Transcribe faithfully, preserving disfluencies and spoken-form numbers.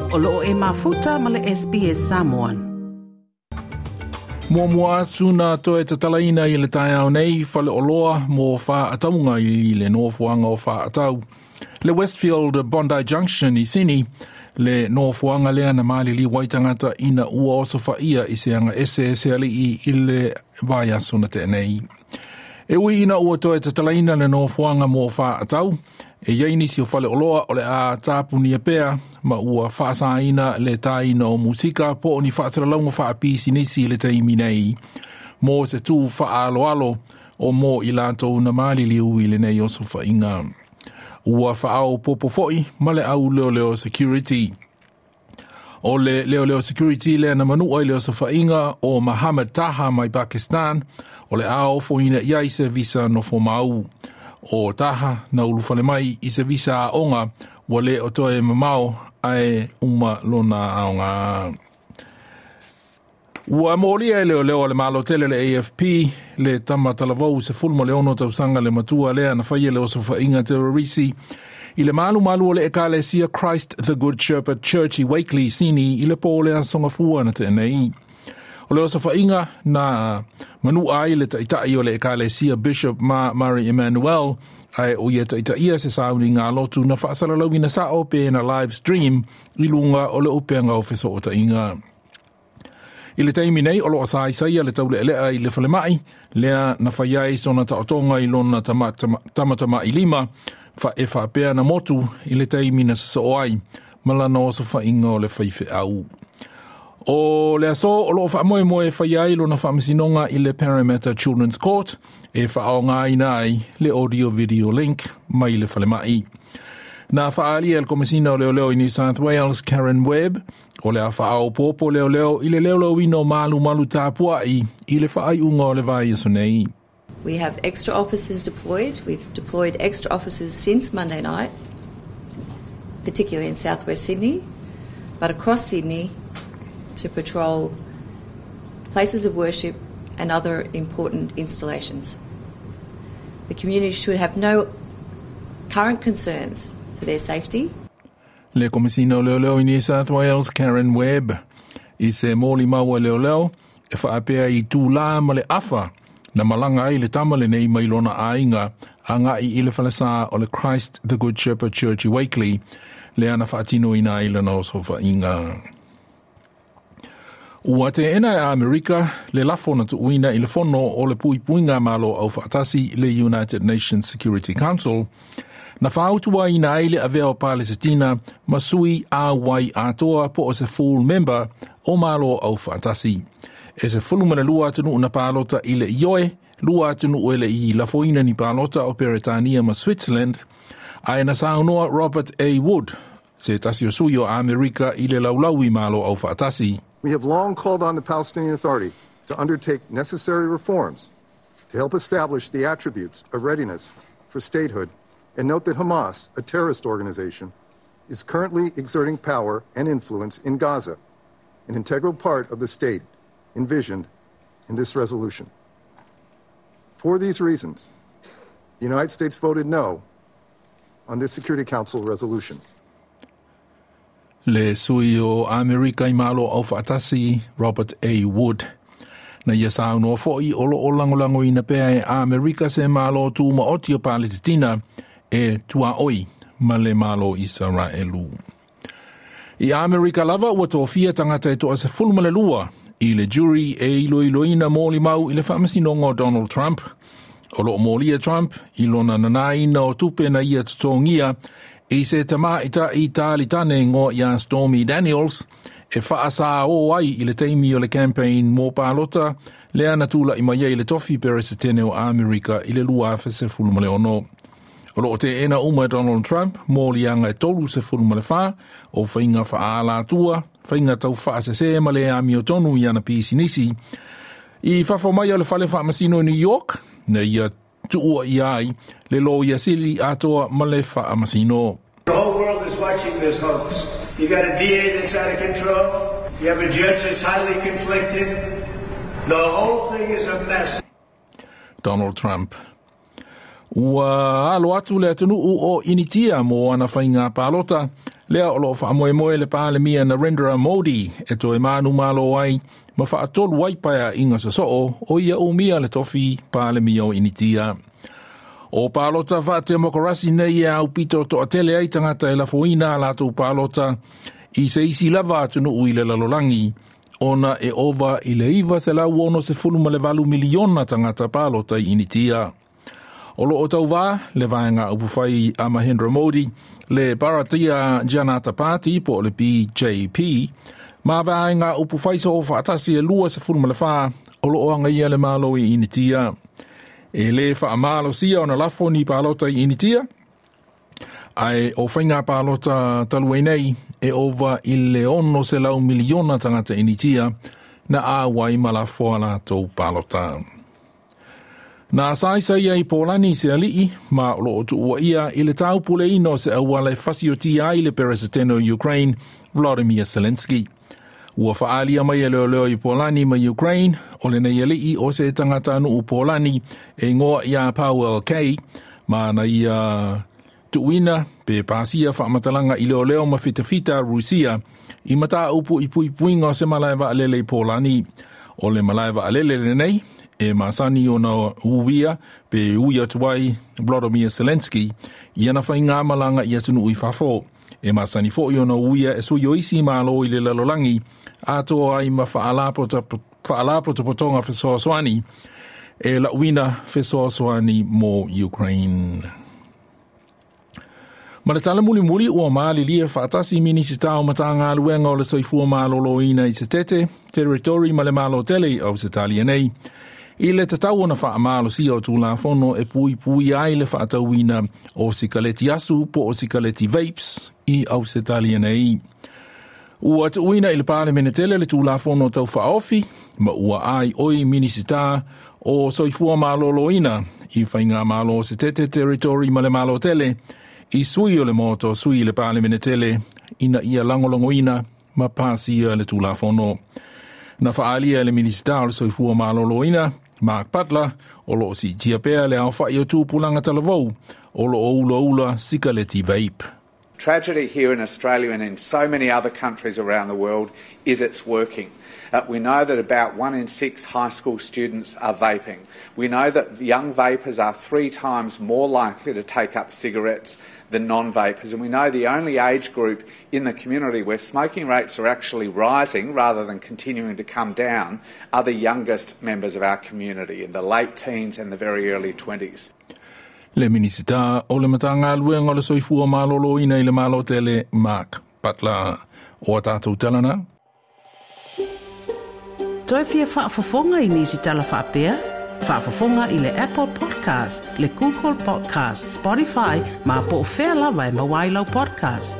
O loo e mafuta ma le S B S Samoan. Muamua atu na toe tatalaina i le taeao nei fale oloa mo faatauga i le nofoaga o faatau. Le Westfield Bondi Junction i Sini, le nofoaga lea na maliliu ai tagata ina ua osofaia i se aga ese ese alii i le vaiaso na tea nei. E ui ina ua toe tatalaina le nofoaga mo faatau, e iai nisi o fale oloa o le a tapunia pea ma ua faasaina le taina o musika po o ni faasalalauga faapisinisi i le taimi nei mo se tu faaaloalo o mo i latou na maliliu i lenei osofaiga. Ua faaopoopo foi ma le au leoleo security. O le leoleo security lea na manua i le osofaiga o Mohammed Taha mai Pakistan, o le a ofoina i ai se visa nofomau. O Taha na ulufale mai i se visa aoga ua le o toe mamao ae uma lona aoga. Ua molia e leoleo a le Malo tele le A F P le tama talavou sefulu ma le ono tausaga le matua lea na faia le osofaiga terrorisi i le malumalu o le Ekalesia Christ the Good Shepherd Church i Wakeley, Sini i le po le aso Gafua na tea nei. O le osofaiga na manua ai le taitai o le Ekalesia Bishop Ma Mari Emmanuel, ae o ia taitaia se sauniga lotu na faasalalauina sao pe na live stream i luga o le upega o fesootaiga. I le taimi nei o loo saisaia le taulealea i le falemai, lea na fai ai sona taotoga i lona tamatamai lima fa e faapea na motu i le taimi na sasoo ai ma lana osofaiga o le faifeau. O le aso o loo faamoemoe e fai ai lona faamasinoga i le Parramatta Children's Court e faaaogaina ai le audio video link mai le falemai. Na faaalia e le Komesina o Leoleo i New South Wales Karen Webb, o le a faaopoopo leoleo i le leoleoina o malumalu tapuai i le faaiuga o le vaiaso nei. We have extra officers deployed. We've deployed extra officers since Monday night, particularly in southwest Sydney, but across Sydney to patrol places of worship and other important installations. The community should have no current concerns for their safety. Le Komesina o Leoleo i New South Wales Karen Webb. I se molimau a leoleo e faapea i tūlā ma le afa na malaga ai le tama lenei mai lona aiga agai i le falesa o le Christ the Good Shepherd Church i Wakeley, lea na faatinoina ai lana osofaiga. Ua teena e Amerika le lafo na tuuina i le fono o le Puipuiga Malo Aufaatasi, le United Nations Security Council, na fautuaina ai le avea o Palesitina ma sui auai atoa po o se full member o Malo Aufaatasi. E sefulu ma le lua atunuu na palota i le ioe, lua atunuu e le i lafoina ni palota o Peretania ma Switzerland, ae na saunoa Robert A. Wood, se tasi o sui o Amerika i le laulau i Malo Aufaatasi. We have long called on the Palestinian Authority to undertake necessary reforms to help establish the attributes of readiness for statehood and note that Hamas, a terrorist organization, is currently exerting power and influence in Gaza, an integral part of the state envisioned in this resolution. For these reasons, the United States voted no on this Security Council resolution. Le sui o Amerika i Malo Aufaatasi Robert A. Wood. Na ia saunoa foi o loo lagolagoina pea e Amerika se Malo Tumaoti o Palesitina e tuaoi ma le Malo Isaraelu. I Amerika lava ua tofia tagata e toasefulu ma le lua i le jury e iloiloina molimau i le faamasinoga o Donald Trump. O loo molia Trump i lona nanaina o tupe na ia totogia i se tamaitai talitane igoa ia Stormy Daniels e faasao ai i le taimi o le campaign mo palota lea na tula'i mai ai i le tofi peresetene o Amerika i le lua afe sefulu ma le ono. O loo teena uma e Donald Trump moliaga e tolu sefulu ma le fa o faiga faaalatua, faiga taufaasese ma le amiotonu i ana pisinisi. I fafo mai o le fale faamasino i New York, na ia tuua ia ai le loia sili atoa ma le faamasino. The whole world is watching this hoax. You got a D A that's out of control. You have a judge that's highly conflicted. The whole thing is a mess. Donald Trump. Ua alo atu le atunuu o Initia mo ana faiga palota Lea o loo faamoemoe le Palemia Narendra Modi e toe manumalo ai ma faatolu ai paeaiga sosoo o ia umia le tofi Palemia o Initia. O palota faatemokarasi nei e aupito toatele ai tagata e lafoina a latou palota i se isi lava atunuu i le lalolagi, ona e ova i le iva selau ono sefulu ma le valu miliona tagata palota i Initia. O loo tauvā le vaega upufai a Mahendra Modi, le Bharatiya Janata Party po o le B J P, ma vaega upufai soo faatasi e lua sefulu ma le whā o loo agaia le malo i Initia. E le faamalosia ona lafo ni palota i Initia, ae o faiga palota talu ai nei e ova i le ono selau miliona tagata Initia na auai ma lafo a latou palota. Na saisai ai Polani se alii ma o loo tuuaia i le taupuleina o se auala e fasiotia ai le peresetene o Ukraine, Volodymyr Zelensky. Ua faalia mai e leoleo i Polani ma Ukraine, o lenei alii o se tagata nuu Polani e igoa ia Paweł K, ma na ia tuuina pe pasia faamatalaga i leoleo ma fitafita Rusia i mataupu i puipuiga o se malae vaalele i Polani. O le malae vaalele lenei e masani ona uia pe ui atu ai Volodymyr Zelensky i ana faigamalaga i atunuu i fafo. E masani foi ona uia e sui o isi malo i le lalolagi atoa ai ma faalapotopotoga fesoasoani e lauina fesoasoani mo Ukraine. Ma le tala mulimuli ua malilie faatasi Minisita o Matagaluega o le Soifua Maloloina i Setete, Territory ma le Malo Tele o Ausetalia nei, i le tatau ona faamalosia o Tulafono e puipui ai le faatauina o sikaleti asu po o sikaleti vapes i Ausetalia nei. Ua tuuina i le Palemene tele le Tulafono tau faaofi, ma ua ai oi Minisita o Soifua Maloloina i Faigamalo o Setete, Territory ma le Malo Tele, i sui o le moto sui le Palemene tele ina ia lagolagoina ma pasia le Tulafono. Na faalia le Minisita o le Soifua Maloloina, Mark Butler, o loo siitia pea le aofai o tupulaga talavou o loo ulaula sikaleti vape. Tragedy here in Australia and in so many other countries around the world is it's working. Uh, we know that about one in six high school students are vaping. We know that young vapers are three times more likely to take up cigarettes than non-vapers. And we know the only age group in the community where smoking rates are actually rising rather than continuing to come down are the youngest members of our community in the late teens and the very early twenties. Le Minisita o le Matagaluega o le Soifua Maloloina i le Malo Tele, Mark Butler. O a tātou talana. Toi fia faafofoga i nisi tala faapea? Faafofoga i le Apple Podcast, le Google Podcast, Spotify, ma po o fea lava e maua ai lau podcast.